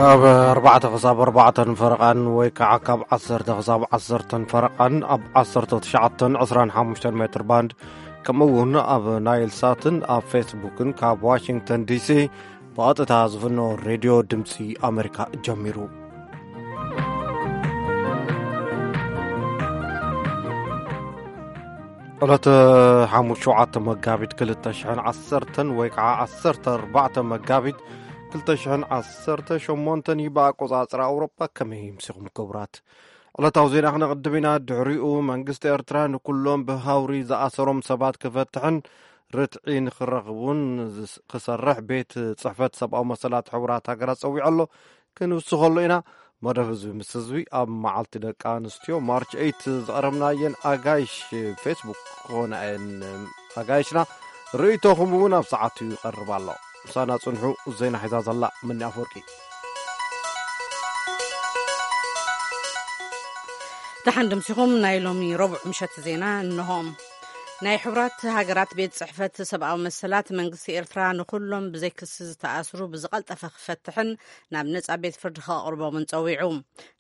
ካብ ኣርባዕተ ክሳብ ኣርባዕተን ፈረቓን ወይ ከዓ ካብ ዓሰርተ ክሳብ ዓሰርተን ፈረቓን ኣብ ዓሰርተ ትሽዓተን ዕስራን ሓሙሽተን ሜትር ባንድ፣ ከምኡ እውን ኣብ ናይል ሳትን ኣብ ፌስቡክን ካብ ዋሽንግተን ዲሲ ብቐጥታ ዝፍኖ ሬድዮ ድምፂ ኣሜሪካ ጀሚሩ። ዕለተ ሓሙስ ሸውዓተ መጋቢት ክልተ ሽሕን ዓሰርተን ወይ ከዓ ዓሰርተ ኣርባዕተ መጋቢት ክልተ ሽሕን ዓሰርተ ሸሞንተን እዩ ብኣቆጻጽራ ኣውሮጳ። ከመይ ምሲኹም ክቡራት? ዕለታዊ ዜና ክነቕድም ኢና። ድሕሪኡ መንግስቲ ኤርትራ ንኩሎም ብሃውሪ ዝኣሰሮም ሰባት ክፈትሕን ርትዒ ንክረኽቡን ዝስ-፣ ክሰርሕ ቤት ጽሕፈት ሰብኣዊ መሰላት ሕቡራት ሃገራት ጸዊዑ ኣሎ። ክንውስኸሉ ኢና። መደብ ህዝቢ ምስ ህዝቢ ኣብ መዓልቲ ደቂ ኣንስትዮ ማርች ኤይት ዝቐረብናየን ኣጋይሽ ፌስቡክ ክኾና እየን። ኣጋይሽና ርእይቶኹም እውን ኣብ ሰዓቱ ይቐርብ ኣሎ። ምሳና ጽንሑ። ዜና ሒዛ ዘላ ምኒ ኣፈወርቂ። ደሓን ድምሲኹም። ናይ ሎሚ ረቡዕ ምሸት ዜና እንሆ። ናይ ሕቡራት ሃገራት ቤት ጽሕፈት ሰብኣዊ መሰላት መንግስቲ ኤርትራ ንኹሎም ብዘይ ክሲ ዝተኣስሩ ብዝቐልጠፈ ክፈትሕን ናብ ነጻ ቤት ፍርዲ ከቕርቦምን ጸዊዑ።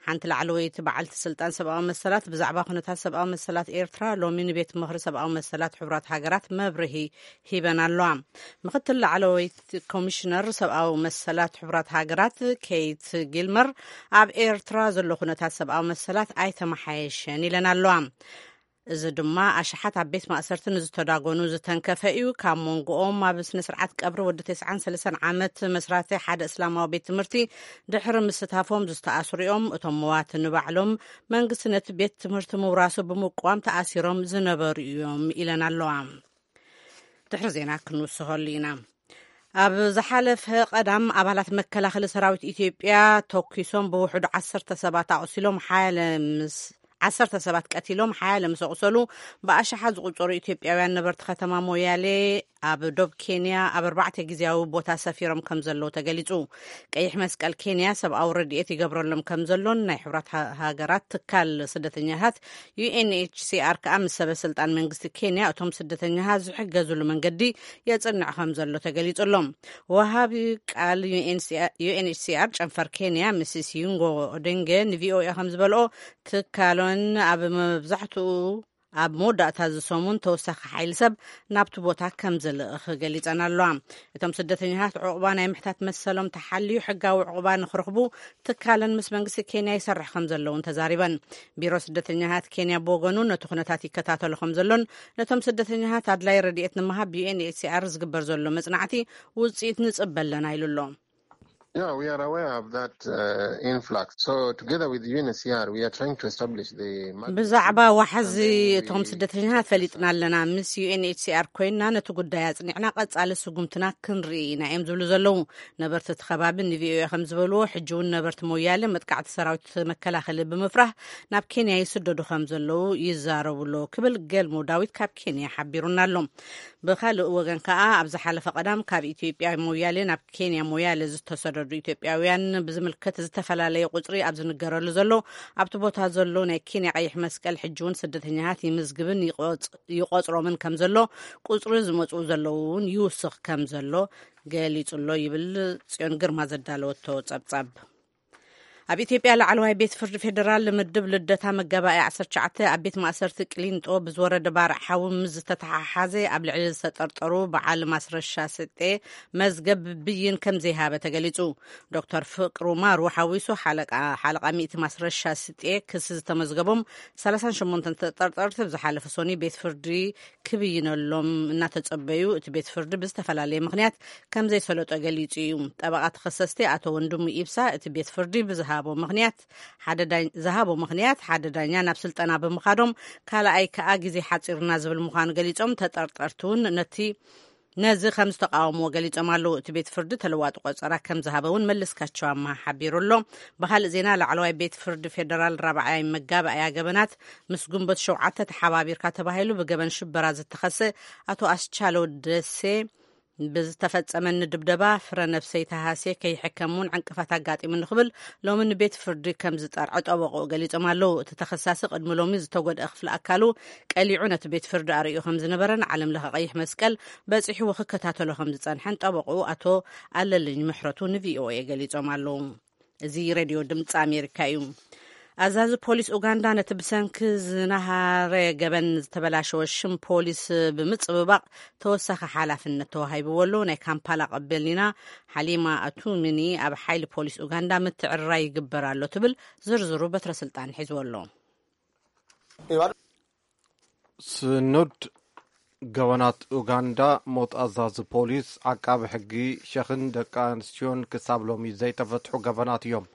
ሓንቲ ላዕለወይቲ በዓልቲ ስልጣን ሰብኣዊ መሰላት ብዛዕባ ኩነታት ሰብኣዊ መሰላት ኤርትራ ሎሚ ንቤት ምኽሪ ሰብኣዊ መሰላት ሕቡራት ሃገራት መብርሂ ሂበን ኣለዋ። ምክትል ላዕለወይቲ ኮሚሽነር ሰብኣዊ መሰላት ሕቡራት ሃገራት ኬይት ጊልመር ኣብ ኤርትራ ዘሎ ኩነታት ሰብኣዊ መሰላት ኣይተመሓየሸን ኢለን ኣለዋ። እዚ ድማ ኣሽሓት ኣብ ቤት ማእሰርቲ ንዝተዳጎኑ ዝተንከፈ እዩ። ካብ መንጎኦም ኣብ ስነ ስርዓት ቀብሪ ወዲ ተስዓን ሰለስተን ዓመት መስራቲ ሓደ እስላማዊ ቤት ትምህርቲ ድሕሪ ምስታፎም ዝተኣስሩ እዮም። እቶም መዋቲ ንባዕሎም መንግስቲ ነቲ ቤት ትምህርቲ ምውራሱ ብምቋም ተኣሲሮም ዝነበሩ እዮም ኢለን ኣለዋ። ድሕሪ ዜና ክንውስኸሉ ኢና። ኣብ ዝሓለፈ ቀዳም ኣባላት መከላኸሊ ሰራዊት ኢትዮጵያ ተኩሶም ብውሕዱ ዓሰርተ ሰባት ኣቑሲሎም፣ ሓያለ ምስ ዓሰርተ ሰባት ቀቲሎም፣ ሓያለ ምስ ኣቑሰሉ፣ ብኣሽሓት ዝቑጸሩ ኢትዮጵያውያን ነበርቲ ከተማ ሞያሌ ኣብ ዶብ ኬንያ ኣብ ኣርባዕተ ግዜያዊ ቦታ ሰፊሮም ከም ዘለዉ ተገሊጹ። ቀይሕ መስቀል ኬንያ ሰብኣዊ ረድኤት ይገብረሎም ከም ዘሎን ናይ ሕቡራት ሃ-፣ ሃገራት ትካል ስደተኛታት ዩ ኤን ኤች ሲ ኣር ከኣ ምስ ሰበ ስልጣን መንግስቲ ኬንያ እቶም ስደተኛታት ዝሕገዙሉ መንገዲ የጽንዕ ከም ዘሎ ተገሊጹ ኣሎ። ወሃቢ ቃል ዩ ኤን ኤች ሲ ኣር ጨንፈር ኬንያ ሚስስ ዩንጎ ኦደንገ ን ቪ ኦ ኤ ከም ዝበልኦ፣ ትካሎን ኣብ መብዛሕትኡ ኣብ መወዳእታ እዚ ሰሙን ተወሳኺ ሓይሊ ሰብ ናብቲ ቦታ ከም ዝልእኽ ገሊጸን ኣለዋ። እቶም ስደተኛታት ዕቑባ ናይ ምሕታት መሰሎም ተሓልዩ ሕጋዊ ዕቑባ ንኽረኽቡ ትካለን ምስ መንግስቲ ኬንያ ይሰርሕ ከም ዘለውን ተዛሪበን። ቢሮ ስደተኛታት ኬንያ ብወገኑ ነቲ ኩነታት ይከታተሎ ከም ዘሎን ነቶም ስደተኛታት ኣድላይ ረድኤት ንምሃብ ብ ዩ ኤን ኤች ሲ ኣር ዝግበር ዘሎ መጽናዕቲ ውጽኢት ንጽበ ኣለና ኢሉ ኣሎ። Yeah, we are aware of that, uh, influx. So together with U N H C R, we are trying to establish the multi- ብዛዕባ ዋሕዚ እቶም ስደተኛታት ፈሊጥና ኣለና። ምስ ዩ ኤን ኤች ሲ ኣር ኮይና ነቲ ጉዳይ ኣጽኒዕና ቀጻሊ ስጉምትና ክንርኢ ኢና እዮም ዝብሉ ዘለዉ። ነበርቲ እቲ ከባቢ ን ቪ ኦ ኤ ከም ዝበልዎ፣ ሕጂ እውን ነበርቲ ሞያሌ መጥቃዕቲ ሰራዊት መከላኸሊ ብምፍራህ ናብ ኬንያ ይስደዱ ከም ዘለዉ ይዛረቡ ኣለዉ ክብል ገልሞ ዳዊት ካብ ኬንያ ሓቢሩና ኣሎ። ብኻልእ ወገን ከኣ፣ ኣብ ዝሓለፈ ቀዳም ካብ ኢትዮጵያ ሞያሌ ናብ ኬንያ ሞያሌ ዝተሰደዱ ኢትዮጵያውያን ብዝምልከት ዝተፈላለየ ቁጽሪ ኣብ ዝንገረሉ ዘሎ፣ ኣብቲ ቦታ ዘሎ ናይ ኬንያ ቀይሕ መስቀል ሕጂ እውን ስደተኛታት ይምዝግብን ይቆጽ-፣ ይቆጽሮምን ከም ዘሎ፣ ቁጽሪ ዝመጽኡ ዘለዉ እውን ይውስኽ ከም ዘሎ ገሊጹ ኣሎ ይብል ጽዮን ግርማ ዘዳለወቶ ጸብጻብ። ኣብ ኢትዮጵያ ላዕለዋይ ቤት ፍርዲ ፌዴራል ምድብ ልደታ መጋባእያ ዓሰርተ ትሽዓተ ኣብ ቤት ማእሰርቲ ቅሊንጦ ብዝወረደ ባርዕ ሓዊ ምስ ዝተተሓሓዘ ኣብ ልዕሊ ዝተጠርጠሩ በዓል ማስረሻ ስጤ መዝገብ ብይን ከም ዘይሃበ ተገሊጹ። ዶክተር ፍቅሩ ማሩ ሓዊሱ ሓለቃ፣ ሓለቃ ሚእቲ ማስረሻ ስጤ ክሲ ዝተመዝገቦም ሰላሳን ሸሞንተን ተጠርጠርቲ ብዝሓለፈ ሰኑይ ቤት ፍርዲ ክብይነሎም እናተጸበዩ፣ እቲ ቤት ፍርዲ ብዝተፈላለየ ምኽንያት ከም ዘይሰለጦ ገሊጹ እዩ። ጠበቓ ተኸሰስቲ ኣቶ ወንድሙ ኢብሳ፣ እቲ ቤት ፍርዲ ብዝሃቦ ምኽንያት ሓደ ዳኝ-፣ ዝሃቦ ምኽንያት ሓደ ዳኛ ናብ ስልጠና ብምኻዶም፣ ካልኣይ ከኣ ግዜ ሓጺሩና ዝብል ምዃኑ ገሊጾም፣ ተጠርጠርቲ እውን ነቲ፣ ነዚ ከም ዝተቃወምዎ ገሊጾም ኣለዉ። እቲ ቤት ፍርዲ ተለዋጢ ቆጸራ ከም ዝሃበ እውን መለስካቸው ኣማሃ ሓቢሩ ኣሎ። ብኻልእ ዜና፣ ላዕለዋይ ቤት ፍርዲ ፌደራል ራብዓይ መጋባእያ ገበናት ምስ ግንቦት ሸውዓተ ተሓባቢርካ ተባሂሉ ብገበን ሽበራ ዝተኸሰ ኣቶ ኣስቻለው ደሴ ብዝተፈጸመኒ ድብደባ ፍረ ነብሰይ ተሃስየ ከይሕከም እውን ዕንቅፋት ኣጋጢሙኒ ክብል ሎሚ ንቤት ፍርዲ ከም ዝጠርዐ ጠበቕኡ ገሊጾም ኣለዉ። እቲ ተኸሳሲ ቅድሚ ሎሚ ዝተጎድአ ክፍሊ ኣካሉ ቀሊዑ ነቲ ቤት ፍርዲ ኣርእዩ ከም ዝነበረን ዓለም ለኸ ቀይሕ መስቀል በጺሕዎ ክከታተሎ ከም ዝጸንሐን ጠበቕኡ ኣቶ ኣለልኝ ምሕረቱ ን ቪ ኦ ኤ ገሊጾም ኣለዉ። እዚ ሬድዮ ድምፂ ኣሜሪካ እዩ። ኣዛዚ ፖሊስ ኡጋንዳ ነቲ ብሰንኪ ዝናሃረ ገበን ዝተበላሸወ ሽም ፖሊስ ብምጽብባቕ ተወሳኺ ሓላፍነት ተዋሂብዎ ኣሎ። ናይ ካምፓላ ቀበሊና ሓሊማ ኣቱሚኒ ኣብ ሓይሊ ፖሊስ ኡጋንዳ ምትዕርራይ ይግበር ኣሎ ትብል። ዝርዝሩ በትረ ስልጣን ሒዝዎ ኣሎ። ስኑድ ገበናት ኡጋንዳ፣ ሞት ኣዛዚ ፖሊስ፣ ዓቃቢ ሕጊ፣ ሸኽን ደቂ ኣንስትዮን ክሳብ ሎሚ ዘይተፈትሑ ገበናት እዮም።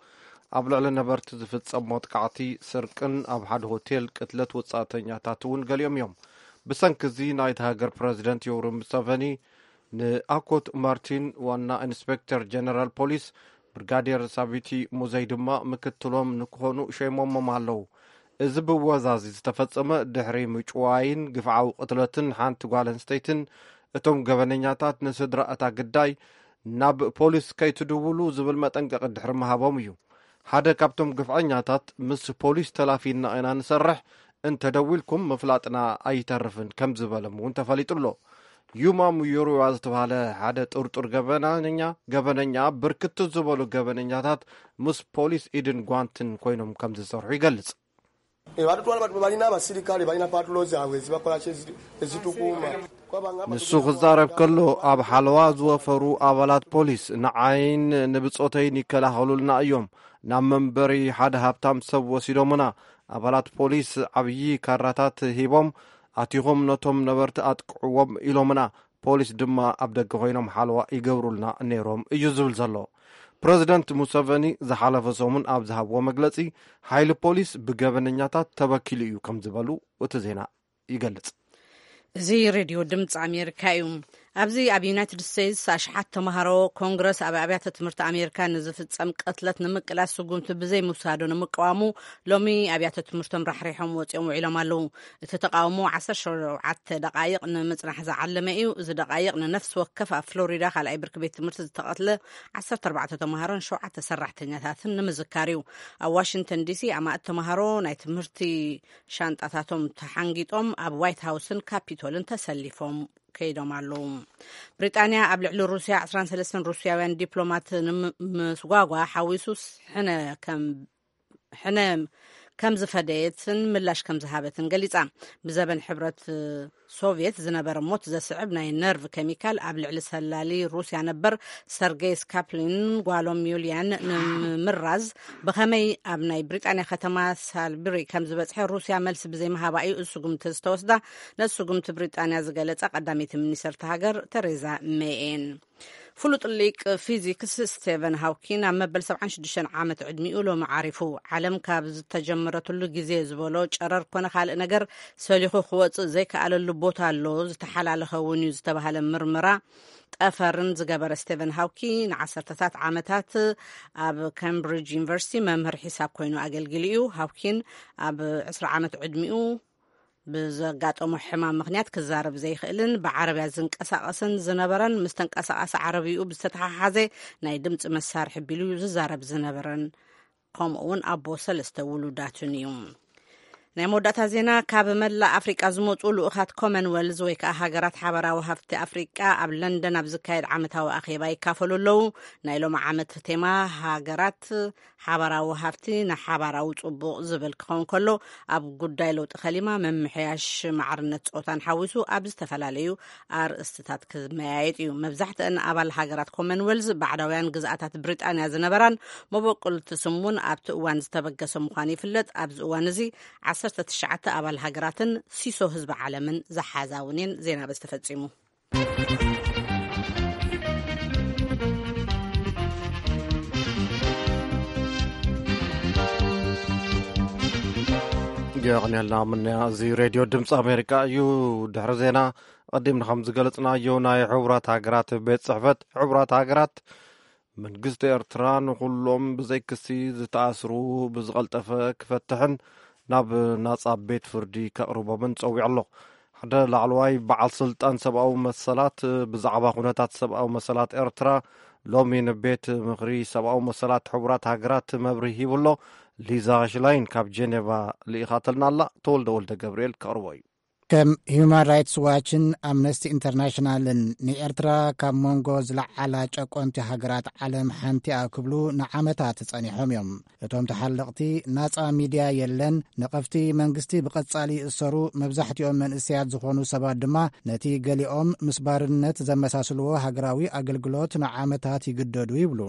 ኣብ ልዕሊ ነበርቲ ዝፍጸም መጥቃዕቲ፣ ስርቅን ኣብ ሓደ ሆቴል ቅትለት ወጻእተኛታት እውን ገሊኦም እዮም። ብሰንኪ እዚ ናይቲ ሃገር ፕረዚደንት ዮውሪ ሙሰቨኒ ንኣኮት ማርቲን ዋና ኢንስፔክተር ጀነራል ፖሊስ፣ ብርጋዴር ሳቢቲ ሙዘይ ድማ ምክትሎም ንክኾኑ ሸይሞሞም ኣለዉ። እዚ ብወዛዚ ዝተፈጸመ ድሕሪ ምጭዋይን ግፍዓዊ ቅትለትን ሓንቲ ጓል ኣንስተይትን፣ እቶም ገበነኛታት ንስድራ እታ ግዳይ ናብ ፖሊስ ከይትድውሉ ዝብል መጠንቀቂ ድሕሪ ምሃቦም እዩ። ሓደ ካብቶም ግፍዐኛታት፣ ምስ ፖሊስ ተላፊና ኢና ንሰርሕ፣ እንተደዊልኩም ምፍላጥና ኣይተርፍን ከም ዝበሎም እውን ተፈሊጡ ኣሎ። ዩማ ሙዮሪዋ ዝተባህለ ሓደ ጥርጡር ገበነኛ፣ ገበነኛ ብርክት ዝበሉ ገበነኛታት ምስ ፖሊስ ኢድን ጓንትን ኮይኖም ከም ዝሰርሑ ይገልጽ። E, batutwala batu balina abasirikale balina patulo zaabwe ezibakola ki ezi- ezitukuuma. Kwabanga- ንሱ ክዛረብ ከሎ፣ ኣብ ሓለዋ ዝወፈሩ ኣባላት ፖሊስ ንዓይን ንብጾተይን ይከላኸሉልና እዮም። ናብ መንበሪ ሓደ ሃብታም ሰብ ወሲዶምና። ኣባላት ፖሊስ ዓብዪ ካራታት ሂቦም፣ ኣቲኹም ነቶም ነበርቲ ኣጥቅዕዎም ኢሎምና። ፖሊስ ድማ ኣብ ደገ ኮይኖም ሓለዋ ይገብሩልና ነይሮም እዩ ዝብል ዘሎ። ፕረዚደንት ሙሰቨኒ ዝሓለፈ ሰሙን ኣብ ዝሃብዎ መግለጺ፣ ሓይሊ ፖሊስ ብገበነኛታት ተበኪሉ እዩ ከም ዝበሉ እቲ ዜና ይገልጽ። እዚ ሬድዮ ድምፂ ኣሜሪካ እዩ። ኣብዚ ኣብ ዩናይትድ ስቴትስ ኣሽሓት ተምሃሮ ኮንግረስ ኣብ ኣብያተ ትምህርቲ ኣሜሪካ ንዝፍጸም ቅትለት ንምቅላስ ስጉምቲ ብዘይ ምውሳዱ ንምቅዋሙ ሎሚ ኣብያተ ትምህርቶም ራሕሪሖም ወፂኦም ውዒሎም ኣለዉ። እቲ ተቃውሞ ዓሰርተ ሸውዓተ ደቃይቕ ንምጽናሕ ዝዓለመ እዩ። እዚ ደቃይቕ ንነፍሲ ወከፍ ኣብ ፍሎሪዳ ካልኣይ ብርኪ ቤት ትምህርቲ ዝተቐትለ ዓሰርተ ኣርባዕተ ተምሃሮን ሸውዓተ ሰራሕተኛታትን ንምዝካር እዩ። ኣብ ዋሽንግተን ዲሲ ኣማእት ተምሃሮ ናይ ትምህርቲ ሻንጣታቶም ተሓንጊጦም ኣብ ዋይት ሃውስን ካፒቶልን ተሰሊፎም ከይዶም ኣለዉ። ብሪጣንያ ኣብ ልዕሊ ሩስያ ዓሰርተ ሰለስተ ሩስያውያን ዲፕሎማት ንምስጓጓ ሓዊሱ ሕነ ከም ሕነ ከም ዝፈደየትን ምላሽ ከም ዝሃበትን ገሊጻ። ብዘበን ሕብረት ሶቭየት ዝነበረ ሞት ዘስዕብ ናይ ነርቭ ኬሚካል ኣብ ልዕሊ ሰላሊ ሩስያ ነበር ሰርጌይ ስካፕሊን ጓሎም ዩልያን ንምምራዝ ብኸመይ ኣብ ናይ ብሪጣንያ ከተማ ሳልብሪ ከም ዝበጽሐ ሩስያ መልሲ ብዘይምሃባ እዩ እዚ ስጉምቲ ዝተወስዳ። ነዚ ስጉምቲ ብሪጣንያ ዝገለጸ ቀዳመይቲ ሚኒስተር እታ ሃገር ተሬዛ ሜይ እየን። ፍሉጥ ሊቅ ፊዚክስ ስቴቨን ሃውኪን ኣብ መበል ሰብዓን ሽዱሽተን ዓመት ዕድሚኡ ሎሚ ዓሪፉ። ዓለም ካብ ዝተጀመረትሉ ግዜ ዝበሎ ጨረር ኮነ ካልእ ነገር ሰሊኹ ክወጽእ ዘይከኣለሉ ቦታ ኣሎ፣ ዝተሓላለኸ እውን እዩ ዝተባህለ ምርመራ ጠፈርን ዝገበረ ስቴቨን ሃውኪ ንዓሰርተታት ዓመታት ኣብ ካምብሪጅ ዩኒቨርሲቲ መምህር ሒሳብ ኮይኑ ኣገልጊሉ እዩ። ሃውኪን ኣብ ዕስራ ዓመት ዕድሚኡ ብዘጋጠሞ ሕማም ምኽንያት ክዛረብ ዘይኽእልን ብዓረብያ ዝንቀሳቐስን ዝነበረን ምስ ተንቀሳቓሲ ዓረብይኡ ብዝተተሓሓዘ ናይ ድምፂ መሳርሒ ቢሉ ዝዛረብ ዝነበረን ከምኡ እውን ኣቦ ሰለስተ ውሉዳትን እዩ። ናይ መወዳእታ ዜና፣ ካብ መላእ ኣፍሪቃ ዝመፁ ልኡኻት ኮመንዌልዝ ወይ ከዓ ሃገራት ሓበራዊ ሃፍቲ ኣፍሪቃ ኣብ ለንደን ኣብ ዝካየድ ዓመታዊ ኣኼባ ይካፈሉ ኣለዉ። ናይ ሎም ዓመት ቴማ ሃገራት ሓባራዊ ሃፍቲ ንሓባራዊ ጽቡቕ ዝብል ክኸውን ከሎ፣ ኣብ ጉዳይ ለውጢ ከሊማ፣ ምምሕያሽ ማዕርነት ጾታን ሓዊሱ ኣብ ዝተፈላለዩ ኣርእስትታት ክመያየጥ እዩ። መብዛሕትአን ኣባል ሃገራት ኮመንዌልዝ ባዕዳውያን ግዝኣታት ብሪጣንያ ዝነበራን መበቆልቲ ስሙን ኣብቲ እዋን ዝተበገሰ ምዃኑ ይፍለጥ። ኣብዚ እዋን እዚ ዓሰርተ ትሽዓተ ኣባል ሃገራትን ሲሶ ህዝቢ ዓለምን ዝሓዛ እውን እየን። ዜና በዚ ተፈጺሙ። የቕንየልና ምንያ። እዚ ሬድዮ ድምፂ ኣሜሪካ እዩ። ድሕሪ ዜና፣ ቀዲምና ከም ዝገለፅናዮ፣ ናይ ሕቡራት ሃገራት ቤት ፅሕፈት ሕቡራት ሃገራት መንግስቲ ኤርትራ ንኹሎም ብዘይ ክሲ ዝተኣስሩ ብዝቐልጠፈ ክፈትሕን ናብ ናጻ ቤት ፍርዲ ከቕርቦምን ጸዊዑ ኣሎ። ሓደ ላዕለዋይ በዓል ስልጣን ሰብኣዊ መሰላት ብዛዕባ ኩነታት ሰብኣዊ መሰላት ኤርትራ ሎሚ ንቤት ምኽሪ ሰብኣዊ መሰላት ሕቡራት ሃገራት መብርሂ ሂቡ ኣሎ። ሊዛ ሽላይን ካብ ጄኔቫ ልኢኻትልና ኣላ። ተወልደ ወልደ ገብርኤል ከቕርቦ እዩ። ከም ሂዩማን ራይትስ ዋችን ኣምነስቲ ኢንተርናሽናልን ንኤርትራ ካብ መንጎ ዝለዓላ ጨቆንቲ ሃገራት ዓለም ሓንቲኣ ክብሉ ንዓመታት ጸኒሖም እዮም። እቶም ተሓለቕቲ፣ ናጻ ሚድያ የለን፣ ነቐፍቲ መንግስቲ ብቐጻሊ ይእሰሩ፣ መብዛሕትኦም መንእሰያት ዝኾኑ ሰባት ድማ ነቲ ገሊኦም ምስ ባርነት ዘመሳስልዎ ሃገራዊ ኣገልግሎት ንዓመታት ይግደዱ ይብሉ።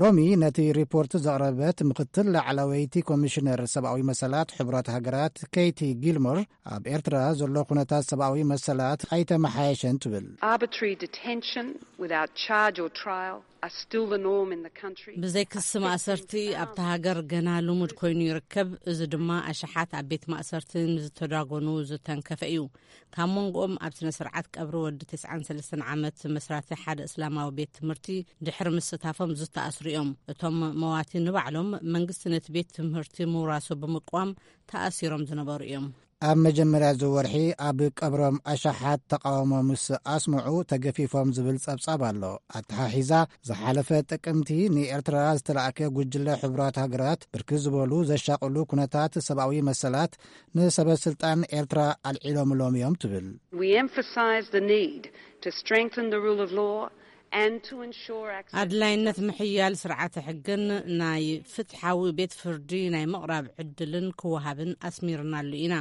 ሎሚ ነቲ ሪፖርት ዘቕረበት ምክትል ላዕለወይቲ ኮሚሽነር ሰብኣዊ መሰላት ሕቡራት ሃገራት ኬይቲ ጊልሞር፣ ኣብ ኤርትራ ዘሎ ኩነታት ሰብኣዊ መሰላት ኣይተመሓየሸን ትብል። Arbitrary detention without charge or trial are still the norm in the country. ብዘይ ክሲ ማእሰርቲ ኣብታ ሃገር ገና ልሙድ ኮይኑ ይርከብ። እዚ ድማ ኣሽሓት ኣብ ቤት ማእሰርቲ ንዝተዳጎኑ ዝተንከፈ እዩ። ካብ መንጎኦም ኣብ ስነ ስርዓት ቀብሪ ወዲ ተስዓን ሰለስተን ዓመት መስራቲ ሓደ እስላማዊ ቤት ትምህርቲ ድሕሪ ምስታፎም ዝተኣስሩ እዮም። እቶም መዋቲ ንባዕሎም መንግስቲ ነቲ ቤት ትምህርቲ ምውራሱ ብምቅዋም ተኣሲሮም ዝነበሩ እዮም። ኣብ መጀመርያ እዚ ወርሒ ኣብ ቀብሮም ኣሽሓት ተቃውሞ ምስ ኣስምዑ ተገፊፎም ዝብል ጸብጻብ ኣሎ። ኣተሓሒዛ፣ ዝሓለፈ ጥቅምቲ ንኤርትራ ዝተላእከ ጉጅለ ሕቡራት ሃገራት ብርክት ዝበሉ ዘሻቕሉ ኩነታት ሰብኣዊ መሰላት ንሰበ ስልጣን ኤርትራ ኣልዒሎምሎም እዮም ትብል። We emphasize the need to strengthen the rule of law and to ensure access to ኣድላይነት ምሕያል ስርዓተ ሕግን ናይ ፍትሓዊ ቤት ፍርዲ ናይ ምቕራብ ዕድልን ክወሃብን ኣስሚርናሉ ኢና።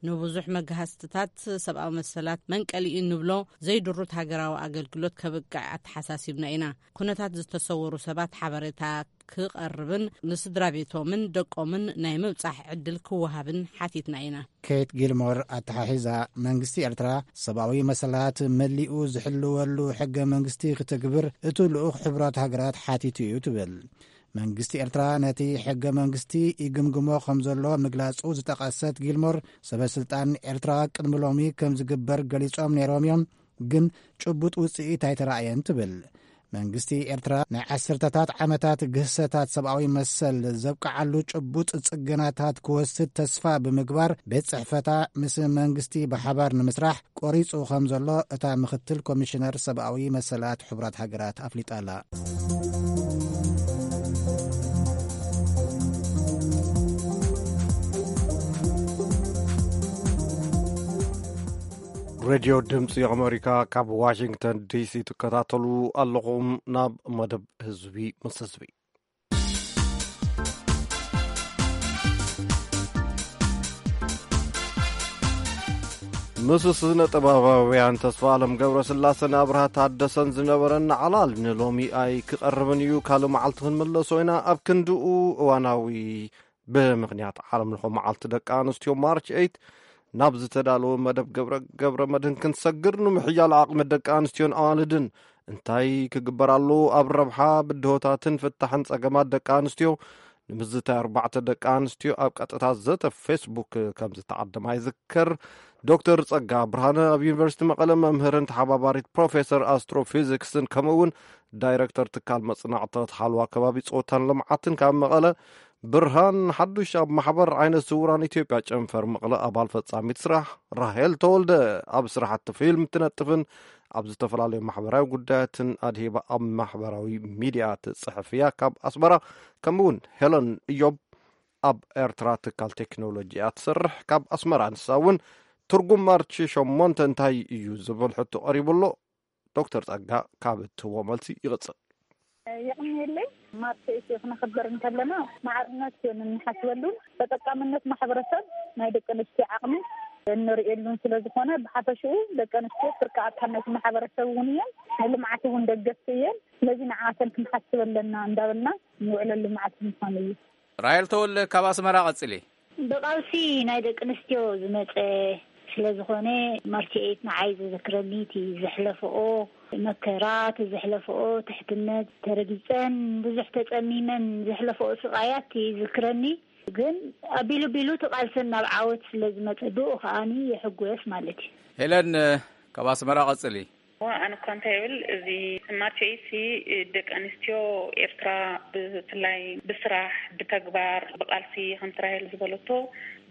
ንብዙሕ መጋህስትታት ሰብኣዊ መሰላት መንቀሊኡ ንብሎ ዘይድሩት ሃገራዊ ኣገልግሎት ከብቅዕ ኣተሓሳሲብና ኢና። ኩነታት ዝተሰወሩ ሰባት ሓበሬታ ክቐርብን ንስድራ ቤቶምን ደቆምን ናይ ምብጻሕ ዕድል ክወሃብን ሓቲትና ኢና። ኬት ጊልሞር ኣተሓሒዛ፣ መንግስቲ ኤርትራ ሰብኣዊ መሰላት መሊኡ ዝሕልወሉ ሕገ መንግስቲ ክትግብር እቱ ልኡኽ ሕቡራት ሃገራት ሓቲቱ እዩ ትብል። መንግስቲ ኤርትራ ነቲ ሕገ መንግስቲ ይግምግሞ ከም ዘሎ ምግላጹ ዝጠቐሰት ጊልሞር፣ ሰበ ስልጣን ኤርትራ ቅድሚ ሎሚ ከም ዝግበር ገሊጾም ነይሮም እዮም፣ ግን ጭቡጥ ውጽኢት ኣይተራእየን ትብል። መንግስቲ ኤርትራ ናይ ዓሰርተታት ዓመታት ግህሰታት ሰብኣዊ መሰል ዘብቅዓሉ ጭቡጥ ጽገናታት ክወስድ ተስፋ ብምግባር፣ ቤት ጽሕፈታ ምስ መንግስቲ ብሓባር ንምስራሕ ቆሪጹ ከም ዘሎ እታ ምክትል ኮሚሽነር ሰብኣዊ መሰላት ሕቡራት ሃገራት ኣፍሊጣ ኣላ። ሬድዮ ድምፂ ኣመሪካ ካብ ዋሽንግተን ዲሲ ትከታተሉ ኣለኹም። ናብ መደብ ህዝቢ ምስ ህዝቢ። ምስ ስነ ጥበባውያን ተስፋ ኣለም ገብረ ስላሰን ኣብርሃ ታደሰን ዝነበረና ዕላል ንሎሚ ኣይክቐርብን እዩ። ካልእ መዓልቲ ክንምለሶ ኢና። ኣብ ክንድኡ እዋናዊ ብምኽንያት ዓለም ለኸ መዓልቲ ደቂ ኣንስትዮ ማርች ኤይት ናብ ዝተዳለወ መደብ ገብረ፣ ገብረ መድህን ክንሰግር፣ ንምሕያል ዓቕሚ ደቂ ኣንስትዮን ኣዋልድን እንታይ ክግበር ኣለዎ? ኣብ ረብሓ ብድሆታትን ፍታሕን ጸገማት ደቂ ኣንስትዮ ንምዝታይ ኣርባዕተ ደቂ ኣንስትዮ ኣብ ቀጥታ ዘተ ፌስቡክ ከም ዝተዓደማ ይዝከር። ዶክተር ጸጋ ብርሃነ ኣብ ዩኒቨርሲቲ መቐለ መምህርን ተሓባባሪት ፕሮፌሰር ኣስትሮፊዚክስን ከምኡ እውን ዳይረክተር ትካል መጽናዕትታት ሓልዋ ከባቢ ጾታን ልምዓትን ካብ መቐለ፣ ብርሃን ሓዱሽ ኣብ ማሕበር ዓይነ ስውራን ኢትዮጵያ ጨንፈር መቐለ ኣባል ፈጻሚት ስራሕ፣ ራሄል ተወልደ ኣብ ስራሕቲ ፊልም ትነጥፍን ኣብ ዝተፈላለዩ ማሕበራዊ ጉዳያትን ኣድሂባ ኣብ ማሕበራዊ ሚድያ ትጽሕፍ እያ። ካብ ኣስመራ ከምኡ እውን ሄለን እዮብ ኣብ ኤርትራ ትካል ቴክኖሎጂ እያ ትሰርሕ። ካብ ኣስመራ ንሳ እውን ትርጉም ማርች ሸሞንተ እንታይ እዩ ዝብል ሕቶ ቀሪቡ ኣሎ። ዶክተር ጸጋ ካብ እትህቦ መልሲ ይቕጽል። የቕንየለይ። ማርች ኤይት ክነኽብር እንከለና ማዕርነት እንሓስበሉን ተጠቃምነት ማሕበረሰብ ናይ ደቂ ኣንስትዮ ዓቕሚ እንርእየሉን ስለ ዝኾነ፣ ብሓፈሽኡ ደቂ ኣንስትዮ ፍርቂ ኣካል ናይቲ ማሕበረሰብ እውን እየን፣ ናይ ልምዓት እውን ደገፍቲ እየን። ስለዚ ንዓተን ክንሓስብ ኣለና እንዳበልና ንውዕለሉ መዓልቲ ምዃኑ እዩ። ራሄል ተወልደ ካብ ኣስመራ ቀጽሊ። ብቃልሲ ናይ ደቂ ኣንስትዮ ዝመጸ ስለ ዝኾነ፣ ማርች ኤይት ንዓይ ዘዘክረኒ እቲ ዘሕለፈኦ መከራ፣ እቲ ዘሕለፈኦ ትሕትነት፣ ተረጊጸን ብዙሕ ተጸሚመን ዘሕለፈኦ ስቃያት ይዝክረኒ። ግን ኣቢሉ ቢሉ እቲ ቃልሰን ናብ ዓወት ስለ ዝመጸ፣ ብኡ ከኣኒ ይሕጎስ ማለት እዩ። ሄለን ካብ ኣስመራ ቀጽሊ። ኣነ እኳ እንታይ ይብል፣ እዚ ማርች ኤይት ሲ ደቂ ኣንስትዮ ኤርትራ ብፍላይ ብስራሕ፣ ብተግባር፣ ብቃልሲ ከምቲ ራሄል ዝበለቶ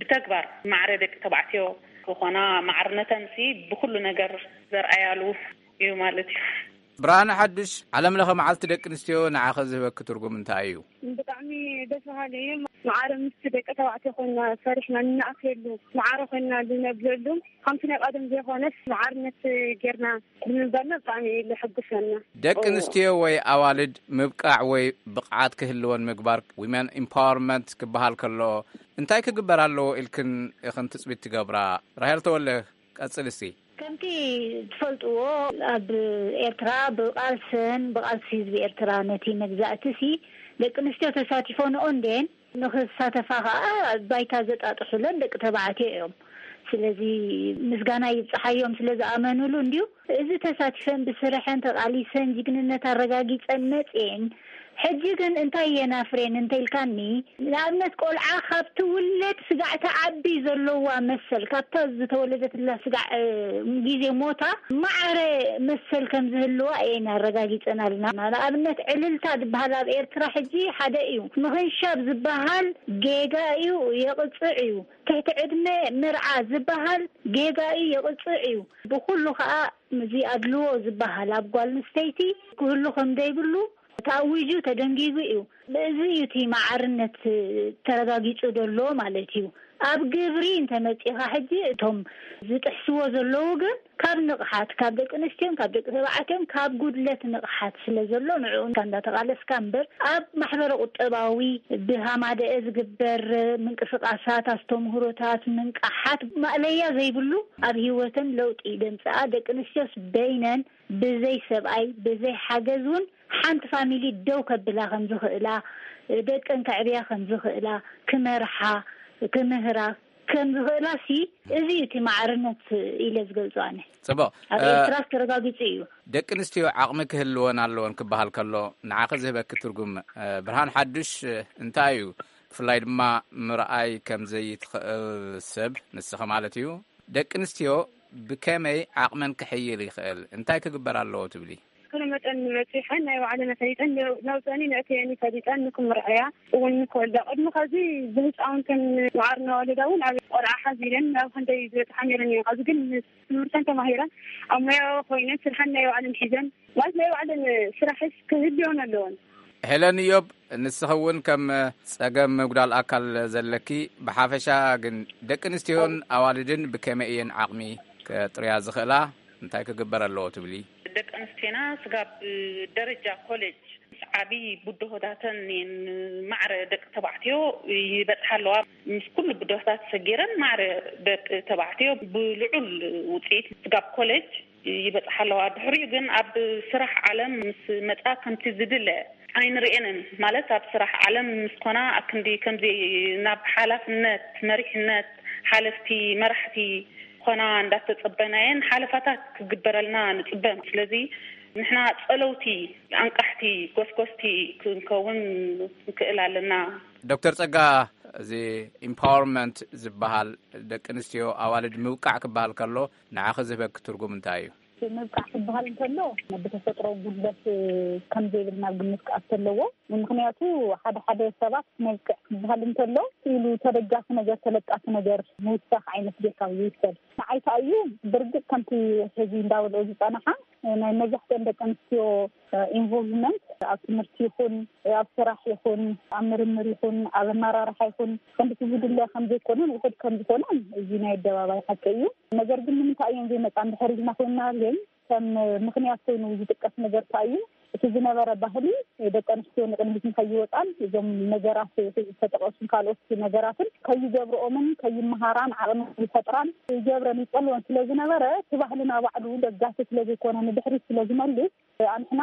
ብተግባር ማዕረ ደቂ ተባዕትዮ ዝኾና፣ ማዕርነተን ሲ ብኩሉ ነገር ዘርኣያሉ እዩ ማለት እዩ። ብርሃነ ሓዱሽ፣ ዓለም ለኸ መዓልቲ ደቂ ኣንስትዮ ንዓኸ ዝህበኪ ትርጉም እንታይ እዩ? ብጣዕሚ ደስ በሃሊ እዩ። ማዕረ ምስቲ ደቂ ተባዕትዮ ኮይና ሰሪሕና ንኣክለሉ፣ ማዕረ ኮይና ንነብለሉ፣ ከምቲ ናይ ቀደም ዘይኮነስ ማዕርነት ጌርና ብምንባርና ብጣዕሚ እዩ ዘሐጉሰና። ደቂ ኣንስትዮ ወይ ኣዋልድ ምብቃዕ ወይ ብቕዓት ክህልወን ምግባር፣ ዊመን ኢምፓወርመንት ክበሃል ከሎ እንታይ ክግበር ኣለዎ ኢልክን ኢኽን ትጽቢት ትገብራ? ራሄል ተወለ፣ ቀጽል እስቲ። ከምቲ ትፈልጥዎ፣ ኣብ ኤርትራ ብቓልሰን ብቓልሲ ህዝቢ ኤርትራ ነቲ መግዛእቲ ሲ ደቂ ኣንስትዮ ተሳቲፎንኦ እንዴን ንኽሳተፋ ኸኣ ባይታ ዘጣጥሑለን ደቂ ተባዕትዮ እዮም። ስለዚ ምስጋና ይብጽሓዮም ስለ ዝኣመኑሉ እንድዩ። እዚ ተሳቲፈን ብስርሐን ተቓሊሰን ጅግንነት ኣረጋጊጸን መጽኤን፣ ሕጂ ግን እንታይ እየን ኣፍርየን እንተኢልካኒ፣ ንኣብነት ቆልዓ ካብ ትውለድ ስጋዕ ተዓቢ ዘለዋ መሰል፣ ካብታ ዝተወለደትላ ስጋዕ፣ እ፣ ግዜ ሞታ ማዕረ መሰል ከም ዝህልዋ እየን ኣረጋጊጸናልና። ንኣብነት ዕልልታ ዝበሃል ኣብ ኤርትራ ሕጂ ሓደ እዩ። ምኽንሻብ ዝበሃል ጌጋ እዩ፣ የቕጽዕ እዩ። ትሕቲ ዕድመ ምርዓ ዝበሃል ጌጋ እዩ፣ የቕጽዕ እዩ። ብኹሉ ኸኣ እዚ ኣድልዎ ዝበሃል ኣብ ጓል ኣንስተይቲ ክህሉ ከም ዘይብሉ ተኣዊጁ ተደንጊጉ እዩ። እዚ እዩ እቲ ማዕርነት ተረጋጊጹ ዘሎ ማለት እዩ። ኣብ ግብሪ እንተመጺኻ ሕጂ እቶም ዝጥሕስዎ ዘለዉ ግን ካብ ንቕሓት፣ ካብ ደቂ ኣንስትዮን ካብ ደቂ ተባዕትዮን ካብ ጉድለት ንቕሓት ስለ ዘሎ ንዕኡ እንዳተቓለስካ እምበር ኣብ ማሕበረ ቁጠባዊ ብሃማደአ ዝግበር ምንቅስቓሳት፣ ኣስተምህሮታት፣ ምንቃሓት ማእለያ ዘይብሉ ኣብ ህይወተን ለውጢ ደምጽኣ ደቂ ኣንስትዮስ በይነን ብዘይ ሰብኣይ ብዘይ ሓገዝ እውን ሓንቲ ፋሚሊ ደው ከብላ ከም ዝኽእላ፣ ደቀን ከዕብያ ከም ዝኽእላ፣ ክመርሓ፣ ክምህራ ከም ዝኽእላ ሲ እዚ እዩ እቲ ማዕርነት ኢለ ዝገልጾ ኣነ። ጽቡቕ። ኣብ እ፣ ኤርትራ ተረጋጊጹ እዩ። ደቂ ኣንስትዮ ዓቕሚ ክህልወን ኣለወን ክበሃል ከሎ ንዓኺ ዝህበኪ ትርጉም፣ እ፣ ብርሃን ሓዱሽ፣ እ፣ እንታይ እዩ? ብፍላይ ድማ ምርኣይ ከም ዘይትኽእል ሰብ ንስኺ ማለት እዩ። ደቂ ኣንስትዮ ብከመይ ዓቕመን ክሕይል ይኽእል? እንታይ ክግበር ኣለዎ ትብሊ? ክሉ መጠን በጺሐን ናይ ባዕለን ኣሳይጠን ለውጠን ነእተየን ፈሊጠን ንክምርዐያ እውን ንክወልዳ። ቅድሚ ከዚ ብህፃውንተን መዓር እናወለዳ እውን ኣብ ቆልዓ ሓዚለን ናብ ክንደይ ዝበፅሓ ነይረን እየን። ከዚ ግን ምስ ትምህርተን ተማሂረን ኣብ ሞያዊ ኮይነን ስርሐን ናይ ባዕለን ሒዘን ማለት ናይ ባዕለን ስራሕስ ክህልዮን ኣለወን። ሄለን እዮብ፣ ንስኺ እውን ከም ጸገም ምጉዳል ኣካል ዘለኪ፣ ብሓፈሻ ግን ደቂ ኣንስትዮን ኣዋልድን ብከመይ እየን ዓቕሚ ከጥርያ ዝኽእላ? እንታይ ክግበር ኣለዎ ትብሊ? ደቂ ኣንስትዮና ስጋብ ደረጃ ኮሌጅ ምስ ዓቢ ብድሆታተን እየን ማዕረ ደቂ ተባዕትዮ ይበጽሓ ኣለዋ። ምስ ኩሉ ብድሆታት ሰጊረን ማዕረ ደቂ ተባዕትዮ ብልዑል ውጽኢት ስጋብ ኮሌጅ ይበጽሓ ኣለዋ። ድሕሪኡ ግን ኣብ ስራሕ ዓለም ምስ መጻ ከምቲ ዝድለ ኣይንርእየንን። ማለት ኣብ ስራሕ ዓለም ምስ ኮና ኣክንዲ ከምዚ ናብ ሓላፍነት፣ መሪሕነት፣ ሓለፍቲ፣ መራሕቲ ኮና እንዳተጸበናየን ሓለፋታት ክግበረልና ንጽበ። ስለዚ ንሕና ጸለውቲ፣ ኣንቃሕቲ፣ ጎስጎስቲ ክንከውን ንክእል ኣለና። ዶክተር ጸጋ፣ እዚ ኢምፓወርመንት ዝበሃል ደቂ ኣንስትዮ ኣዋልድ ምብቃዕ ክበሃል ከሎ ንዓኺ ዝህበኪ ትርጉም እንታይ እዩ? ምብቃዕ ክበሃል እንከሎ ብተፈጥሮ ጉድለት ከም ዘይብልና ግምት ክኣቱ ኣለዎ። ምክንያቱ ሓደ ሓደ ሰባት መብቅዕ ክበሃል እንከሎ ኢሉ ተደጋፊ ነገር፣ ተለጣፊ ነገር ምውሳኽ ዓይነት ጌርካ እዩ ዝውሰድ። ንዓይ ከኣ እዩ ብርግጽ ከምቲ ሕዚ እንዳበልኦ ዝጸናሓ ናይ መብዛሕትአን ደቂ ኣንስትዮ ኢንቮልቭመንት ኣብ ትምህርቲ ይኹን ኣብ ስራሕ ይኹን ኣብ ምርምር ይኹን ኣብ ኣመራርሓ ይኹን ከምቲ ዝድለ ከም ዘይኮነን ውሑድ ከም ዝኾነን እዚ ናይ ኣደባባይ ሓቂ እዩ። ነገር ግን ንምንታይ እየን ዘይመጻ እንድሕር ኢልና ኮይንና ግን ከም ምኽንያት ኮይኑ ዝጥቀስ ነገር እንታይ እዩ? እቲ ዝነበረ ባህሊ ደቂ ኣንስትዮ ንቕድሚት ንኸይወጻን እዞም ነገራት ዝተጠቐሱን ካልኦት ነገራትን ከይገብርኦምን ከይመሃራን ዓቕሚ ይፈጥራን ይገብረን ይጸልወን ስለ ዝነበረ እቲ ባህልና ባዕሉ ደጋፊ ስለ ዘይኮነ ንድሕሪት ስለ ዝመልስ ኣንሕና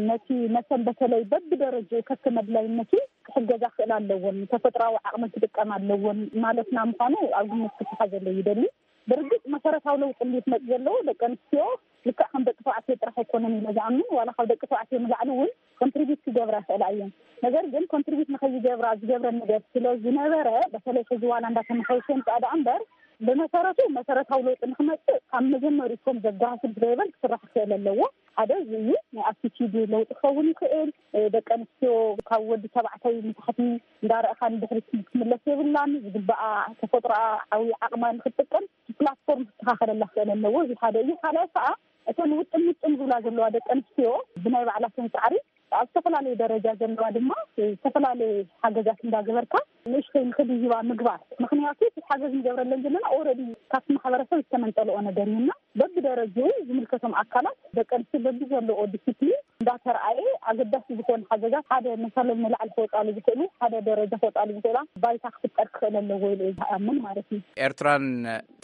ነቲ መሰል በተለይ በብደረጃኡ ከከም ኣድላይነቱ ክሕገዛ ክኽእል ኣለዎን፣ ተፈጥሮኣዊ ዓቕመን ክጥቀማ ኣለዎን ማለትና ምዃኑ ኣብ ግምት ክትሓዘሉ ይደሊ። ብርግጽ መሰረታዊ ለውጢ እንድዩ ክመጽእ ዘለዎ ደቂ ኣንስትዮ ልክዕ ከም ደቂ ተባዕትዮ ጥራሕ ኣይኮነን ኢለ ዝኣምን፣ ዋላ ካብ ደቂ ተባዕትዮ ንላዕሊ እውን ኮንትሪቢዩት ክገብራ ይኽእላ እየን። ነገር ግን ኮንትሪቢዩት ንኸይገብራ ዝገብረን ነገር ስለ ዝነበረ በተለይ ሕዚ ዋላ እንዳተመሓየሸ ይምጻእ ደኣ እምበር ብመሰረቱ መሰረታዊ ለውጢ ንክመጽእ ካብ መጀመሪቶም ዘጓስል ብዘይበል ክስራሕ ክኽእል ኣለዎ። ሓደ እዚ እዩ። ናይ ኣቲቲድ ለውጢ ክኸውን ይኽእል። ደቂ ኣንስትዮ ካብ ወዲ ተባዕታይ ንታሕቲ እንዳረእኻ ንድሕሪት ክትምለስ የብላን። ዝግባኣ ተፈጥሮኣ ዓብዪ ዓቕማ ንክትጥቀም ፕላትፎርም ክስተኻኸለላ ክኽእል ኣለዎ። እዚ ሓደ እዩ። ካልኣይ ከዓ እቲ እተን ውጥም ውጥም ዝብላ ዘለዋ ደቂ ኣንስትዮ ብናይ ባዕላተን ፃዕሪ ኣብ ዝተፈላለየ ደረጃ ዘለዋ ድማ ዝተፈላለየ ሓገዛት እንዳገበርካ ንእሽተይ ንክድይባ ምግባር። ምክንያቱ እቲ ሓገዝ ንገብረለን ዘለና ኦረዲ ካብቲ ማሕበረሰብ ዝተመንጠልኦ ነገር እዩና በብደረጃኡ ዝምልከቶም ኣካላት ደቂ ኣንስትዮ በብዘለዎ ዲስፕሊን እንዳተርኣየ ኣገዳሲ ዝኾነ ሓገዛት ሓደ መሰሎም ንላዕሊ ክወፃሉ ዝኽእሉ ሓደ ደረጃ ክወፃሉ ዝኽእላ ባይታ ክፍጠር ክኽእል ኣለዎ ኢሉ እዩ ዝኣምን ማለት እዩ። ኤርትራን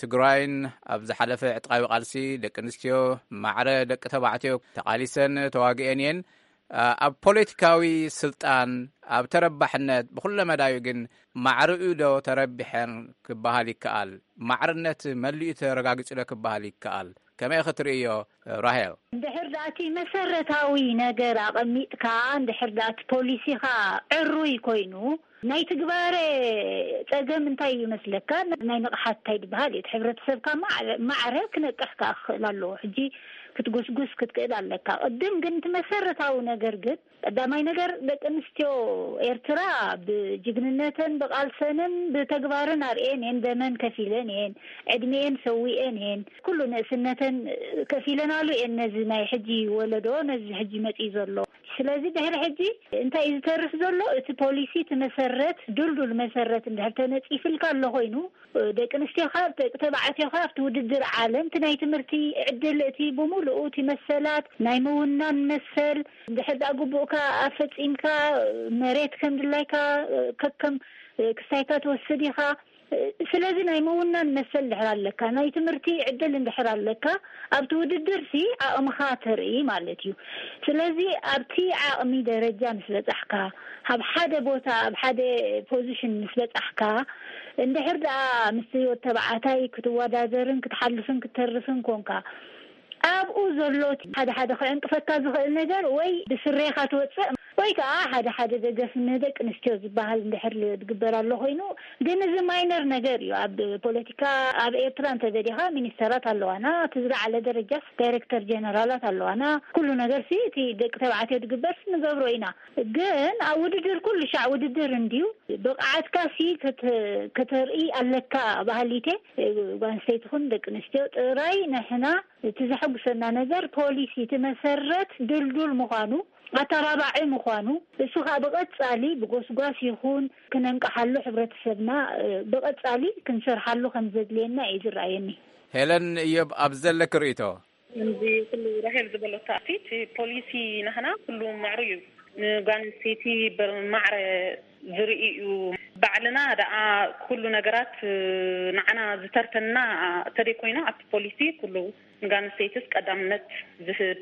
ትግራይን ኣብ ዝሓለፈ ዕጥቃዊ ቃልሲ ደቂ ኣንስትዮ ማዕረ ደቂ ተባዕትዮ ተቓሊሰን ተዋግኤን እየን። ኣብ ፖለቲካዊ ስልጣን ኣብ ተረባሕነት ብኩለ መዳዩ ግን ማዕርኡ ዶ ተረቢሐን ክበሃል ይከኣል? ማዕርነት መሊኡ ተረጋጊጹ ዶ ክበሃል ይከኣል? ከመይ ክትርእዮ ራሄል? እንድሕር ዳኣ እቲ መሰረታዊ ነገር ኣቐሚጥካ፣ እንድሕር ዳኣ እቲ ፖሊሲኻ ዕሩይ ኮይኑ፣ ናይ ትግባረ ጸገም እንታይ እዩ መስለካ? ናይ ንቕሓት እንታይ ዝበሃል እዩ? እቲ ሕብረተሰብካ ማዕረ ክነቅሕ ከኣ ክኽእል ኣለዎ። ሕጂ ክትጉስጉስ ክትክእል ኣለካ። ቅድም ግን እቲ መሰረታዊ ነገር ግን ቀዳማይ ነገር ደቂ ኣንስትዮ ኤርትራ ብጅግንነተን ብቓልሰንን ብተግባርን ኣርእየን እየን፣ ደመን ከፊለን እየን፣ ዕድሜኤን ሰዊኤን እየን፣ ኩሉ ንእስነተን ከፊለናሉ እየን ነዚ ናይ ሕጂ ወለዶ፣ ነዚ ሕጂ መጺኡ ዘሎ። ስለዚ ድሕሪ ሕጂ እንታይ እዩ ዝተርፍ ዘሎ? እቲ ፖሊሲ፣ እቲ መሰረት፣ ድልዱል መሰረት እንድሕር ተነጺፍልካ ኣሎ ኮይኑ፣ ደቂ ኣንስትዮኻ ደቂ ተባዕትዮኻ ኣብቲ ውድድር ዓለም እቲ ናይ ትምህርቲ ዕድል እቲ ብምሉኡ እቲ መሰላት ናይ ምውናን መሰል እንድሕር ደኣ ግቡእካ ኣፈጺምካ መሬት ከም ድላይካ ከከም ክስታይካ ትወስድ ኢኻ። ስለዚ ናይ ምውናን መሰል እንድሕር ኣለካ ናይ ትምህርቲ ዕድል እንድሕር ኣለካ ኣብቲ ውድድር ሲ ዓቕምኻ ተርኢ ማለት እዩ። ስለዚ ኣብቲ ዓቕሚ ደረጃ ምስ በጻሕካ ኣብ ሓደ ቦታ ኣብ ሓደ ፖዚሽን ምስ በጻሕካ እንድሕር ደኣ ምስቲ ወዲ ተባዕታይ ክትወዳደርን ክትሓልፍን ክትተርፍን ኮንካ ኣብኡ ዘሎ ሓደ ሓደ ክዕንቅፈካ ዝኽእል ነገር ወይ ብስሬኻ ትወፅእ ወይ ከዓ ሓደ ሓደ ደገፍ ንደቂ ኣንስትዮ ዝበሃል እንድሕር ዝግበር ኣሎ ኮይኑ ግን እዚ ማይነር ነገር እዩ። ኣብ ፖለቲካ ኣብ ኤርትራ እንተደሊኻ ሚኒስተራት ኣለዋና፣ እቲ ዝለዓለ ደረጃስ ዳይሬክተር ጀነራላት ኣለዋና። ኩሉ ነገር ሲ እቲ ደቂ ተባዕትዮ ዝግበር ንገብሮ ኢና። ግን ኣብ ውድድር ኩሉ ሻዕ ውድድር እንድዩ። ብቕዓትካ ሲ ከተርኢ ኣለካ ባህሊቴ ጓንስተይቲ ኹን ደቂ ኣንስትዮ ጥራይ ንሕና እቲ ዘሐጉሰና ነገር ፖሊሲ እቲ መሰረት ድልዱል ምዃኑ ኣተባባዒ ምዃኑ እሱ ከዓ ብቐፃሊ ብጎስጓስ ይኹን ክነንቀሓሉ ሕብረተሰብና ብቐፃሊ ክንሰርሓሉ ከም ዘድልየና እዩ ዝረኣየኒ። ሄለን እዮብ ኣብዚ ዘለኪ ርእይቶ? ከምዚ ኩሉ ራሄል ዝበለቶ ኣቲ እቲ ፖሊሲ ናህና ኩሉ ምዕሩ እዩ። ንጓል ኣንስተይቲ ብማዕረ ዝርኢ እዩ። ባዕልና ደኣ ኩሉ ነገራት ንዓና ዝተርፈና ተደይ ኮይና ኣብቲ ፖሊሲ ኩሉ ንጓል ኣንስተይትስ ቀዳምነት ዝህብ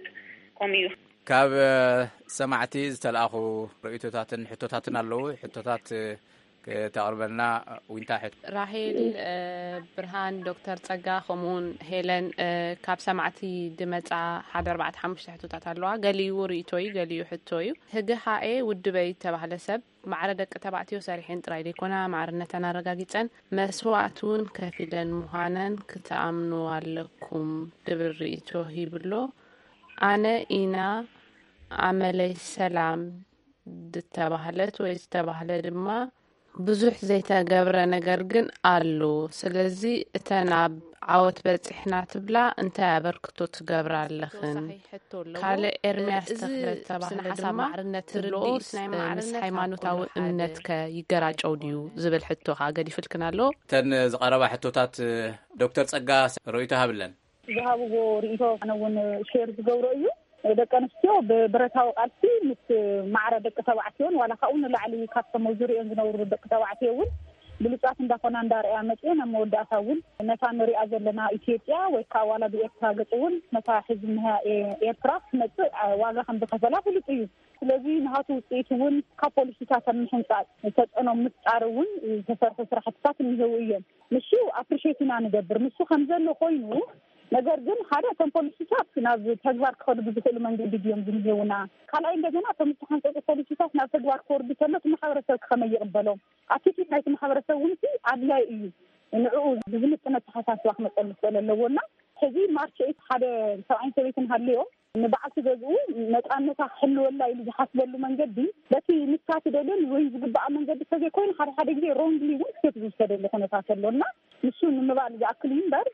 ከምኡ እዩ። ካብ ሰማዕቲ ዝተለኣኹ ርእይቶታትን ሕቶታትን ኣለዉ። ሕቶታት ክተቕርበልና ዊንታ ሕቶ። ራሄል ብርሃን፣ ዶክተር ጸጋ ከምኡውን ሄለን ካብ ሰማዕቲ ድመጻ ሓደ ኣርባዕተ ሓሙሽተ ሕቶታት ኣለዋ። ገሊኡ ርእይቶ እዩ፣ ገሊኡ ሕቶ እዩ። ህግሓኤ ውድበይ ዝተባህለ ሰብ ማዕረ ደቂ ተባዕትዮ ሰሪሐን ጥራይ ዘይኮና ማዕርነተን ኣረጋጊጸን መስዋእቲ እውን ከፊለን ምዃነን ክትኣምኑ ኣለኩም ድብል ርእይቶ ሂብሎ። ኣነ ኢና ኣመለይ ሰላም ዝተባህለት ወይ ዝተባህለ ድማ ብዙሕ ዘይተገብረ ነገር ግን ኣሎ። ስለዚ እተን ኣብ ዓወት በጺሕና ትብላ እንታይ ኣበርክቶ ትገብራ ኣለኽን? ካልእ ኤርምያስ ተኽለ ዝተባህለ ድማ ትርዲት ናይ ማዕርነት ምስ ሃይማኖታዊ እምነትከ ይገራጨው ድዩ ዝብል ሕቶ ከኣ ገዲፍልክን ኣሎ። እተን ዝቐረባ ሕቶታት ዶክተር ጸጋ ርእይቶ ሃብለን። ዝሃብዎ ርእይቶ ኣነ እውን ሼር ዝገብሮ እዩ። ደቂ ኣንስትዮ ብብረታዊ ቃልሲ ምስ ማዕረ ደቂ ተባዕትዮን ዋላ ካብኡ ንላዕሊ ካብቶም ኣብ ዙሪኦን ዝነብሩ ደቂ ተባዕትዮ እውን ብሉፃት እንዳኾና እንዳርኣያ መፅየን ኣብ መወዳእታ እውን ነታ ንሪኣ ዘለና ኢትዮጵያ ወይ ከዓ ዋላ ብኤርትራ ገፅ እውን ነታ ሕዚ ንሃ ኤርትራ ክትመፅእ ዋጋ ከም ዝኸፈላ ፍሉጥ እዩ። ስለዚ ንሃቱ ውፅኢት እውን ካብ ፖሊሲታት ኣብ ምሕንፃፅ ተፅዕኖ ምፍጣር እውን ዝተሰርሑ ስራሕትታት እኒሄው እዮም። ንሱ ኣፕሪሼት ኢና ንገብር። ንሱ ከም ዘሎ ኮይኑ ነገር ግን ሓደ እቶም ፖሊሲታት ናብ ተግባር ክኸዱ ብዝኽእሉ መንገዲ ድዮም ዝምሄውና? ካልኣይ እንደገና እቶም ዝተሓንፀፁ ፖሊሲታት ናብ ተግባር ክወርዱ ከሎ እቲ ማሕበረሰብ ከመይ ይቕበሎም? ኣቲቲዩድ ናይቲ ማሕበረሰብ እውን ሲ ኣድላይ እዩ። ንዕኡ ብዝምጥን ኣተሓሳስባ ክመፀሉ ክኽእል ኣለዎ እና ሕዚ ማርች ኤይት ሓደ ሰብኣይን ሰበይትን ሃልዮም ንበዓልቲ ገዝኡ ነፃነታ ክሕልወላ ኢሉ ዝሓስበሉ መንገዲ በቲ ንሳ ትደልዮን ወይ ዝግባኣ መንገዲ ተዘይኮይኑ ሓደ ሓደ ግዜ ሮንግሊ እውን ስቴፕ ዝውሰደሉ ኩነታት ኣሎ እና ንሱ ንምባል ዝኣክል እዩ እምበር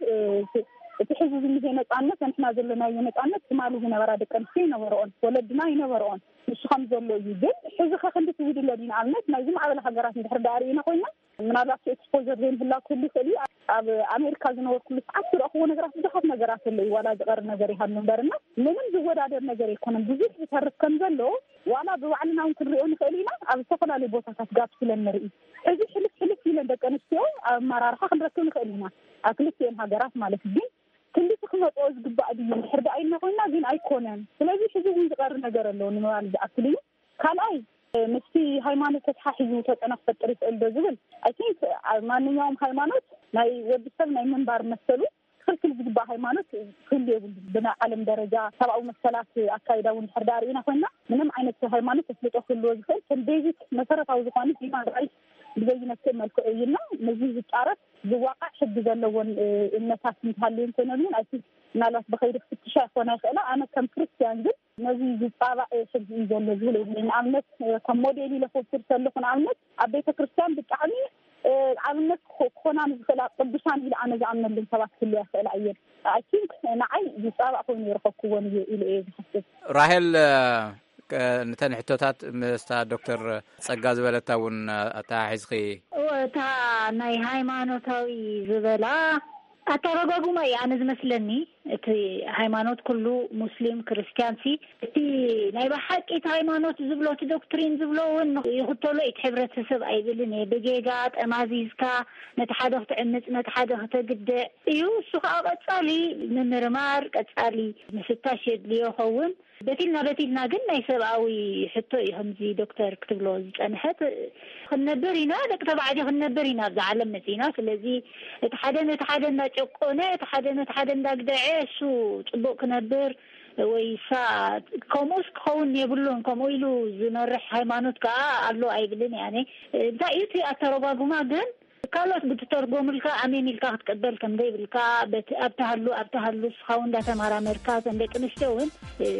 እቲ ሕዚ ዝኒሄ ነጻነት፣ ንሕና ዘለናዮ ነጻነት ትማሊ ዝነበራ ደቂ ኣንስትዮ ይነበረኦን፣ ወለድና ይነበረኦን። ንሱ ከም ዘሎ እዩ። ግን ሕዚ ከ ክንድቲ ዝድለ ድዩ? ንኣብነት ናይዚ ማዕበል ሃገራት እንድሕር ደኣ ርኢና ኮይና፣ ምናልባት ኤክስፖዘር ዘይምህላው ክህሉ ይኽእል እዩ። ኣብ ኣሜሪካ ዝነበርኩሉ ሰዓት ዝረእኽዎ ነገራት ብዙሓት ነገራት ኣለዉ። ዋላ ዝቐር ነገር ይሃሉ እምበርና ምንም ዝወዳደር ነገር ኣይኮነን። ብዙሕ ዝተርፍ ከም ዘሎ ዋላ ብባዕልና እውን ክንሪኦ ንኽእል ኢና። ኣብ ዝተፈላለዩ ቦታታት ጋብ ስለ ንርኢ፣ ሕዚ ሕልፍ ሕልፍ ኢለን ደቂ ኣንስትዮ ኣብ ኣመራርሓ ክንረክብ ንኽእል ኢና፣ ኣብ ክልቲኤን ሃገራት ማለት እዩ። ግን ክንድቲ ክመፅኦ ዝግባእ ድዩ? እንድሕር ደኣ ኢልና ኮይና ግን ኣይኮነን። ስለዚ ሕዚ እውን ዝቐር ነገር ኣሎ ንምባል ዝኣክል እዩ። ካልኣይ፣ ምስቲ ሃይማኖት ተተሓሒዙ ተፅዕኖ ክፈጥር ይኽእል ዶ ዝብል፣ ኣይ ቲንክ ማንኛውም ሃይማኖት ናይ ወዲ ሰብ ናይ ምንባር መሰሉ ክኽልክል ዝግባእ ሃይማኖት ክህሉ የብሉን። ብናይ ዓለም ደረጃ ሰብኣዊ መሰላት ኣካይዳ እውን ድሕር ዳ ርኢና ኮይና፣ ምንም ዓይነት ሃይማኖት ተፍልጦ ክህልዎ ዝኽእል ከም ቤዚክ መሰረታዊ ዝኾነ ሂማን ራይት ብዘይነክእ መልክዑ እዩ። እና ነዚ ዝፃረፍ ዝዋቃዕ ሕጊ ዘለዎን እምነታት እንተሃልዩ እንተይነሉን ኣይ ቲንክ ምናልባት ብኸይዲ ክፍትሻ ይኾና ይኽእላ። ኣነ ከም ክርስትያን ግን ነዚ ዝፃባእ ሕጊ እዩ ዘሎ ዝብል የብለይ። ንኣብነት ከም ሞዴል ኢለ ክወስድ ከለኹ፣ ንኣብነት ኣብ ቤተ ክርስትያን ብጣዕሚ ኣብነት ክኾና ንዝኽእላ ቅዱሳን ኢለ ኣነ ዝኣምነልን ሰባት ክህልያ ይኽእላ እየን። ኣይ ቲንክ ንዓይ ዝፃባእ ኮይኑ ይረኸብኩዎ እዩ ኢለ እየ ዝሓስብ። ራሄል፣ ነተን ሕቶታት ምስታ ዶክተር ጸጋ ዝበለታ እውን ኣተሓሒዝኺ። እታ ናይ ሃይማኖታዊ ዝበላ ኣተረጓጉማ እዩ ኣነ ዝመስለኒ። እቲ ሃይማኖት ኩሉ፣ ሙስሊም ክርስትያን ሲ፣ እቲ ናይ ብሓቂ እቲ ሃይማኖት ዝብሎ እቲ ዶክትሪን ዝብሎ እውን ይኽተሎ እቲ ሕብረተሰብ ኣይብልን እየ። ብጌጋ ጠማዚዝካ ነቲ ሓደ ክትዕምፅ ነቲ ሓደ ክተግድዕ እዩ። እሱ ከዓ ቀፃሊ ምምርማር ቀፃሊ ምፍታሽ የድልዮ ኸውን። በቲልና በቲልና ግን ናይ ሰብኣዊ ሕቶ እዩ ከምዚ ዶክተር ክትብሎ ዝፀንሐት። ክንነብር ኢና፣ ደቂ ተባዕትዮ ክንነብር ኢና ኣብዚ ዓለም መፂና። ስለዚ እቲ ሓደ ነቲ ሓደ እናጨቆነ እቲ ሓደ ነቲ ሓደ እንዳግደዐ እሱ ፅቡቅ ክነብር ወይ ሳ ከምኡስ ክኸውን የብሉን። ከምኡ ኢሉ ዝመርሕ ሃይማኖት ከዓ ኣሎ ኣይብልን እየ ኣነ። እንታይ እዩ እቲ ኣተረጓጉማ ግን ካልኦት ብትተርጎምልካ ኣሜን ኢልካ ክትቀበል ከም ዘይብልካ ኣብቲ ሃሉ ኣብቲ ሃሉ እስኻ እውን እንዳተመራመርካ እተን ደቂ ኣንስትዮ እውን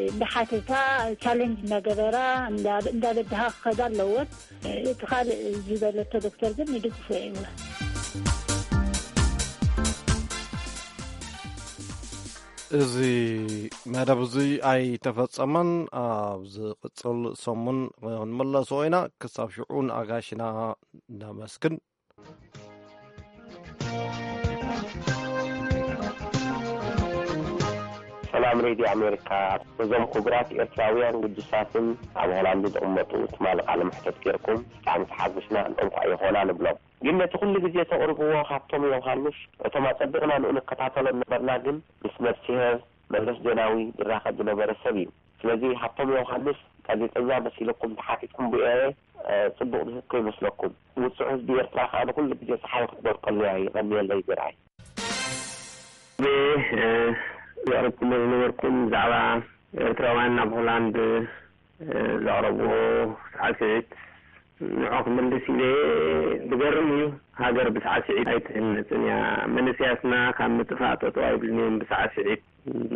እንዳሓተታ ቻለንጅ እንዳገበራ እንዳበድሃ ክኸዳ ኣለዎን። እቲ ካልእ ዝበለቶ ዶክተር ግን ንድግፎ እየ። እዚ መደብ እዚ ኣይተፈጸመን። ኣብ ዝቕጽል ሰሙን ክንመለሶ ኢና። ክሳብ ሽዑ ንኣጋሽና ነመስግን። ሰላም ሬድዮ ኣሜሪካ። ነዞም ክቡራት ኤርትራውያን ግዱሳትን ኣብ ሆላንድ ዝቕመጡ ትማሊ ቃለ መሕተት ጌርኩም ብጣዕሚ ተሓጒስና፣ እንቋዕ ይኾና ንብሎም። ግን ነቲ ኩሉ ግዜ ተቕርብዎ ሃብቶም ዮውሃንስ፣ እቶም ኣጸቢቕና ንኡ ንከታተሎ ዝነበርና ግን ምስ ነፍስሄር መለስ ዜናዊ ዝራኸብ ዝነበረ ሰብ እዩ። ስለዚ ሃብቶም ዮውሃንስ ጋዜጠኛ መሲልኩም ተሓቲትኩም ብኤ ጽቡቕ ዝህብ ከይመስለኩም። ውጹዕ ህዝቢ ኤርትራ ከኣ ንኹሉ ግዜ ጸሓይ ክትበርቀሉ እያ። የቐንየለይ ዝርኣይ። ዘቕርብኩሞ ዝነበርኩም ብዛዕባ ኤርትራውያን ናብ ሆላንድ ዘቕረብዎ ሳዕስዒት ንዖ ክምልስ ኢለ። ዝገርም እዩ። ሃገር ብሳዕስዒት ኣይትህነፅን እያ። መንእሰያትና ካብ ምጥፋእ ጠጠው ኣይብልን እዮም ብሳዕስዒት።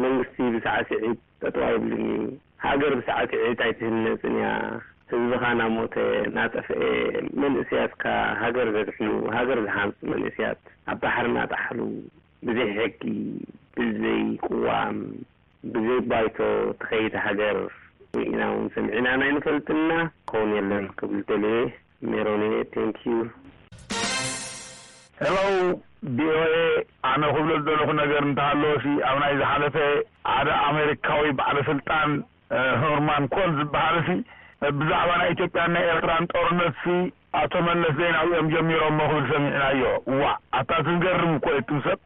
መንግስቲ ብሳዕስዒት ጠጠው ኣይብልን እዩ። ሃገር ብሳዕስዒት ኣይትህነፅን እያ። ህዝብኻ እናሞተ እናጠፍአ መንእሰያትካ ሃገር ዘድሕኑ ሃገር ዝሃንፁ መንእሰያት ኣብ ባሕሪ እናጠሓሉ ብዘይ ሕጊ ብዘይ ቅዋም ብዘይ ባይቶ ትኸይድ ሃገር ኢና እውን ሰሚዕናን ኣይንፈልጥና። ክኸውን የለን ክብል ደልየ። ሜሮን እየ። Thank you። Hello፣ ቪኦኤ። ኣነ ክብሎ ዝደለኹ ነገር እንተሃለወሲ ኣብ ናይ ዝሓለፈ ሓደ ኣሜሪካዊ ባዕለ ስልጣን ሆርማን ኮል ዝበሃል ሲ ብዛዕባ ናይ ኢትዮጵያን ናይ ኤርትራን ጦርነት ሲ ኣቶ መለስ ዜናዊ እዮም ጀሚሮሞ ክብል ሰሚዕናዮ። ዋእ ኣታ እቲ ዝገርም እኮ እዩ። ኣቱም ሰብ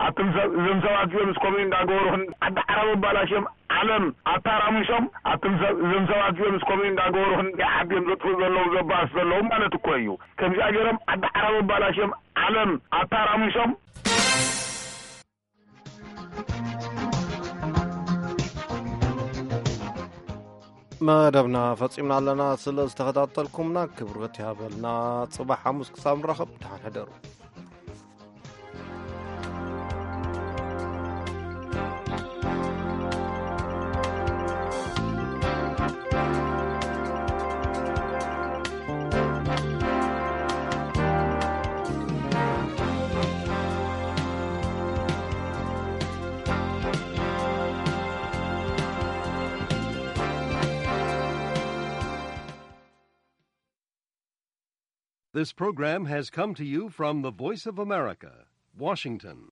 ኣቱም ሰብ እዞም ሰባት እዚኦም እስከምኡ እንዳገበሩ ዓዲ ዓረብ ኣባላሽዮም ዓለም ኣታራሚሶም ኣቱም ሰብ እዞም ሰባት እዚኦም እስከምኡ እንዳገበሩ ክንደይ ዓዲ እዮም ዘጥፍኡ ዘለዉ ዘባእሱ ዘለዉ ማለት እኮ እዩ። ከምዚኣ ገይሮም ዓዲ ዓረብ ኣባላሽዮም ዓለም ኣታራሚሶም። መደብና ፈጺምና ኣለና። ስለ ዝተኸታተልኩምና ክብረት ይሃበልና። ጽባሕ ሓሙስ ክሳብ ንራኸብ ደሓን ሕደሩ። This program has come to you from the Voice of America, Washington.